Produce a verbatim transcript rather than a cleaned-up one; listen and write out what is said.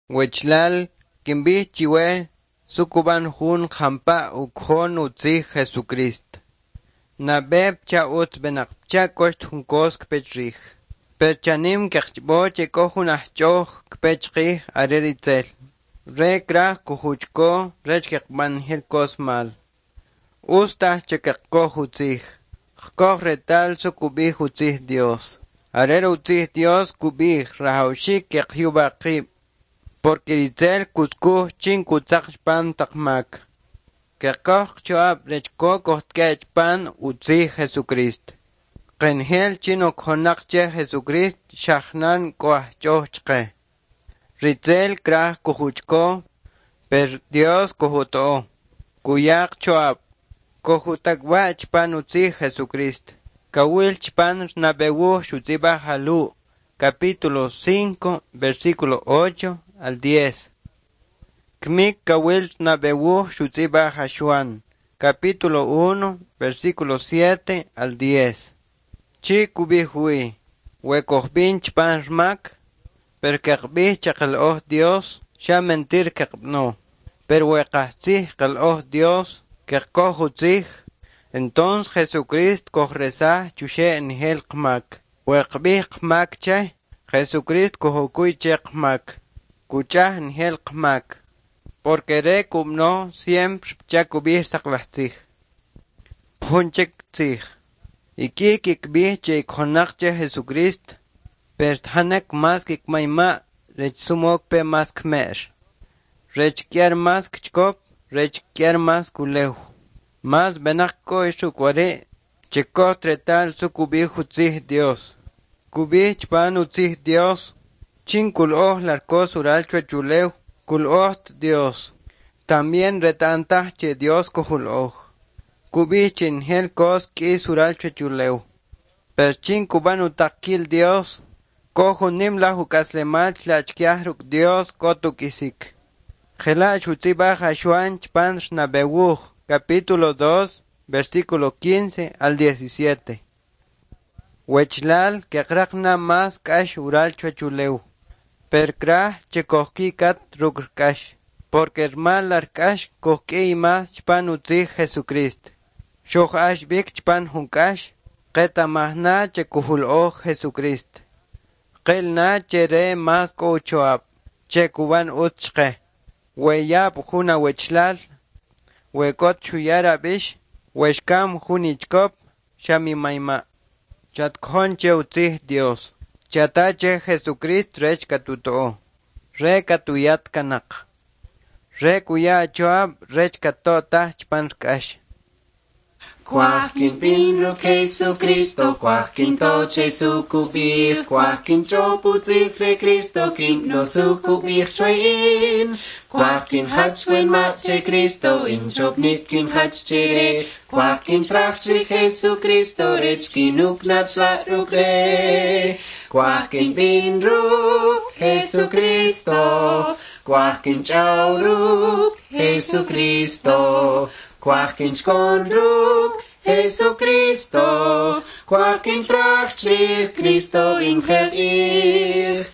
Wechlal kinb'ij chiwe su kub'an jun jampa ukjon utzij Jesucrist. Nab'e pcha utz b'enaq pcha koxt jun kos kpe chrij. Per chanim keqch'b'o che k'o jun ajch'oj kpe chqij are ritzel. Re kraj kujuchko rech keqb'an njel kos mal. Utz taj che keqkoj utzij. Qkoj retal su kub'ij utzij Dios. Are utzij Dios kub'ij rajawxik keqyub'a qib'. Porque ritzel kutzkuj chin kutzaq chpan taq mak. Keqkoj qcho'ab' rech ko kojtk'e' chpan utzij Jesucrist. Qenjel chin okjonaq che Jesucrist xa jnan k'o ajch'oj chqe. Ritzel kraj kujuchko, per Dios kujuto'o. Kuya qcho'ab'. Kojutak'b'a' chpan utzij Jesucrist. Kawil chpan nab'e wuj xutz'ib'aj a Lu', capítulo cinco, versículo ocho al diez. Kmik kawil nab'e wuj xutz'ib'aj a Xuan, capítulo uno, versículo siete al diez. Chi' kub'ij wi, we kojb'in chpan rmak, per keqb'ij che qal'oj Dios, xa mentir keqb'ano. Per we qastzij qal'oj Dios, keqkoj utzij, entonces Jesucrist kojresaj chuxe' njel qmak. We qb'ij qmak che, Jesucrist kojukuy che qmak. Kuch'aj njel qmak. Porque re kub'ano siempre pcha kub'ij saqlaj tzij. Jun chik tzij. Ik'i kikb'ij che ikjonaq che Jesucrist, per tjanek mas kikmayma' rech sumok pe mas kme'x. Rech k'yar mas kchkop, rech k'yar mas kulew. Mas b'enaq k'o ruk' wari' che koj retal su kub'ij utzij Dios. Kub'ij chpan utzij Dios, chin kul'oj larkos ural chuwach ulew, kul'ojt Dios. También reta'm taj che Dios kojul'oj. Kub'ij che njel kos k'is ural chuwach ulew. Per chin kub'an utaqkil Dios, k'o jun nim laj uk'aslemal chla' chkaj ruk' Dios k'ot uk'isik. Jela' xutz'ib'aj a Xuan chpan nab'e wuj, capítulo dos, versículo quince al diecisiete. Wechlal keqraq na mas k'ax ural chuwach ulew. Per kraj che kojki'kat ruk' k'ax. Porque rmal lar k'ax kojk'iy mas chpan utzij Jesucrist. Xoj'ax b'ik chpan jun k'ax, qeta'maj na che kujul'oj Jesucrist. Qil na che re mas k'o ucho'ab', che kub'an utz chqe. We yab' jun awechlal, we k'ot xuya rab'ix, we xkam jun ichkop, xa mimayma'. Chatkjon che utzij Dios. Chata che Jesucrist rech katuto'o. Re katuyat kanaq. Re kuya acho'ab' rech katto'taj chpan k'ax. Kwaj kinb'in ruk' Jesucristo, kwaj kinto che su kub'ij, kwaj kinch'ob utzij re Cristo, kin'ano su kub'ij chwe in. Kwaj kinjach wanma' che Cristo, in ch'ob'nik kinjach che re, kwaj kintraj chrij Jesucristo, rech kinok na chla' ruk' re. Kwaj kinb'in ruk' Jesucristo, kwaj kinch'aw ruk' Jesucristo, kwaj kinchkon ruk' Jesucristo, kwaj kintraj chrij Cristo injel ij.